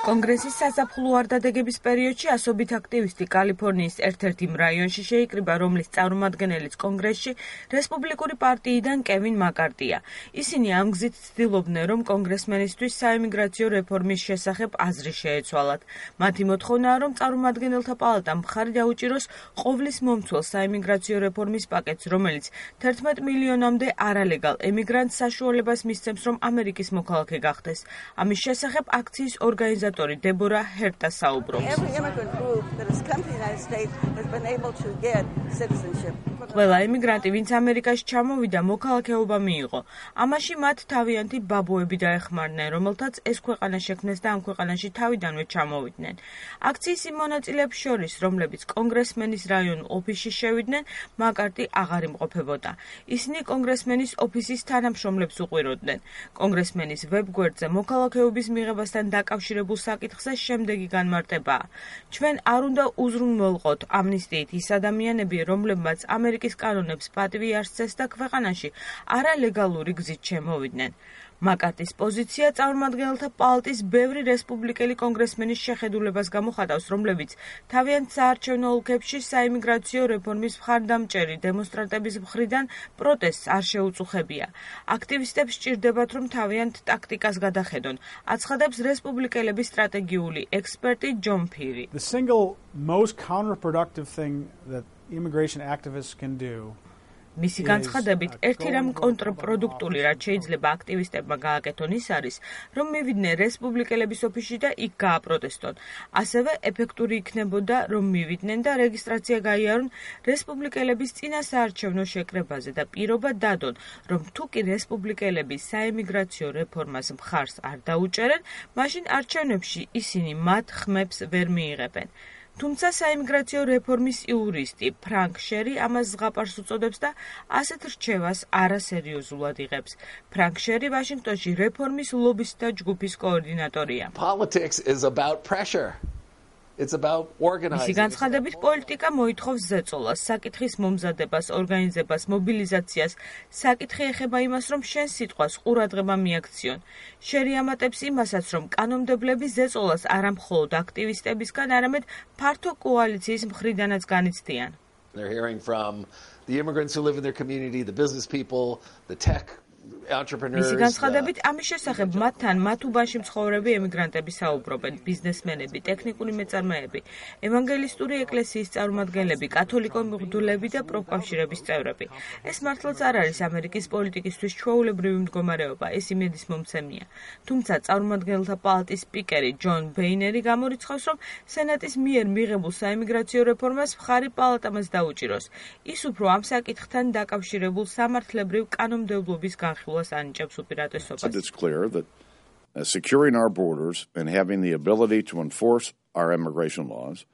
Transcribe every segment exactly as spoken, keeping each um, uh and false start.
კონგრესის საზაფხულო არდადეგების პერიოდში ასობით აქტივისტი კალიფორნიის ერთ-ერთ იმ რაიონში შეიკრიბა, რომლის წარმომადგენელიც კონგრესში რესპუბლიკური პარტიიდან კევინ მაკარტია. ისინი ამ გზით ცდილობდნენ, რომ კონგრესმენისთვის საიმიგრაციო რეფორმის შესახებ აზრი შეეცვალათ. მათი მოთხოვნაა, რომ წარმომადგენელთა პალატამ მხარი დაუჭიროს ყოვლის მომცველ საიმიგრაციო რეფორმის პაკეტს, რომელიც თერთმეტ მილიონამდე არალეგალ ემიგრანტს საშუალებას მისცემს, რომ ამერიკის მოქალაქე გახდეს. ამის შესახებ აქციის ორგანიზატორი დებორა ჰერტა საუბრობს. ყველა ემიგრანტი, ვინც ამერიკაში ჩამოვიდა, მოქალაქეობა მიიღო. ამაში მათ თავიანთი ბაბუები დაეხმარნენ, რომელთაც ეს ქვეყანა შექმნეს და ამ ქვეყანაში თავიდანვე ჩამოვიდნენ. აქციის იმ მონაწილეებს შორის, რომლებიც კონგრესმენის რაიონულ ოფისში შევიდნენ, მაკარტი აღარ იმყოფებოდა. ისინი კონგრესმენის ოფისის თანამშრომლებს უყვიროდნენ. კონგრესმენის ვებგვერდზე მოქალაქეობის მიღებასთან დაკავშირებულ საკითხზე შემდეგი განმარტებაა. ჩვენ არ უნდა უზრუნველყოთ ამნისტიით ის ადამიანები, რომლებმაც ამერიკის კანონებს პატივი არ სცეს და ქვეყანაში არალეგალური გზით შემოვიდნენ. მაკარტის პოზიცია წარმომადგენელთა პალატის ბევრი რესპუბლიკელი კონგრესმენის შეხედულებას გამოხატავს, რომლებიც თავიანთ საარჩევნო ოლქებში საიმიგრაციო რეფორმის მხარდამჭერი დემონსტრანტების მხრიდან პროტესტს არ შეუწუხებია. აქტივისტებს სჭირდებათ, რომ თავიანთ ტაქტიკას გადახედონ, აცხადებს რესპუბლიკელების სტრატეგიული ექსპერტი ჯონ ფირი. The single most counterproductive thing that immigration activists can do მისი განცხადებით, ერთი რამ კონტრპროდუქტული, რაც შეიძლება აქტივისტებმა გააკეთონ, ის არის, რომ მივიდნენ რესპუბლიკელების ოფისში და იქ გააპროტესტონ. ასევე ეფექტური იქნებოდა, რომ მივიდნენ და რეგისტრაცია გაიარონ რესპუბლიკელების წინა საარჩევნო შეკრებაზე და პირობა დადონ, რომ თუ კი რესპუბლიკელები საიმიგრაციო რეფორმას მხარს არ დაუჭერენ, მაშინ არჩევნებში ისინი მათ ხმებს ვერ მიიღებენ. თუმცა საიმიგრაციო რეფორმის იურისტი ფრანკ შერი ამას ზღაპარს უწოდებს და ასეთ რჩევას არასერიოზულად იღებს. ფრანკ შერი ვაშინგტონში რეფორმის ლობისტთა ჯგუფის კოორდინატორია. Politics is about pressure. It's about organizing. მისი განცხადებით, პოლიტიკა მოითხოვს ზეწოლას, საკითხის მომზადებას, ორგანიზებას, მობილიზაციას. საკითხი ეხება იმას, რომ შენ სიტყვას ყურადღება მიაქციონ. შერი ამატებს იმასაც, რომ კანონმდებლები ზეწოლას არა მხოლოდ აქტივისტებისგან, არამედ ფართო კოალიციის მხრიდანაც განიცდიან. They're hearing from the immigrants who live in their community, the business people, the tech entrepreneurs. მისი განცხადებით, ამის შესახებ მათთან მათ უბანში მცხოვრები ემიგრანტები საუბრობენ, ბიზნესმენები, ტექნიკური მეწარმეები, ევანგელისტური ეკლესიის წარმომადგენლები, კათოლიკო მღვდლები და პროფკავშირების წევრები. ეს მართლაც არ არის ამერიკის პოლიტიკისთვის ჩვეულებრივი მდგომარეობა, ეს იმედის მომცემია. თუმცა წარმომადგენელთა პალატის სპიკერი ჯონ ბეინერი გამორიცხავს, რომ სენატის მიერ მიღებულ საიმიგრაციო რეფორმას მხარი პალატამაც დაუჭიროს. ის უფრო ამ საკითხთან დაკავშირებულ სამართლებრივ კანონმდებლობის განხილვას ანიჭებს უპირატესობას. It's clear that uh, securing our borders and having the ability to enforce our immigration laws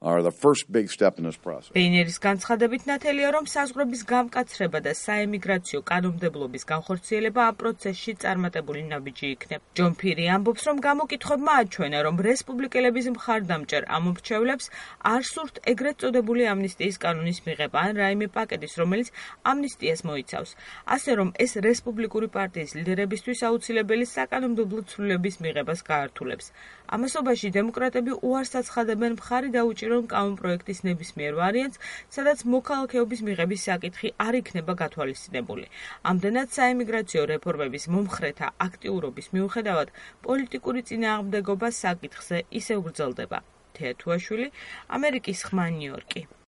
are the first big step in this process. ბეინერის განცხადებით ნათელია, რომ საზღვრების გამკაცრება და საემიგრაციო კანონმდებლობის განხორციელება ამ პროცესში წარმატებული ნაბიჯი იქნება. ჯონ ფირი ამბობს, რომ გამოკითხვებმა აჩვენა, რომ რესპუბლიკელების მხარდამჭერ ამ მრჩევლებს არ სურთ ეგრეთ წოდებული ამნისტიის კანონის მიღება ან რაიმე პაკეტის, რომელიც ამნისტიას მოიცავს. ასე რომ ეს რესპუბლიკური პარტიის ლიდერებისთვის აუცილებელი საკანონმდებლო ცვლილების მიღებას გაართულებს. ამასობაში დემოკრატები უარს აცხადებენ მხარი დაუჭირონ კანონპროექტის ნებისმიერ ვარიანტს, სადაც მოქალაქეობის მიღების საკითხი არ იქნება გათვალისწინებული. ამდენად საიმიგრაციო რეფორმების მომხრეთა აქტიურობის მიუხედავად, პოლიტიკური წინააღმდეგობა საკითხზე ისევ გრძელდება. თეა თუაშვილი, ამერიკის ხმა, ნიუ-იორკი.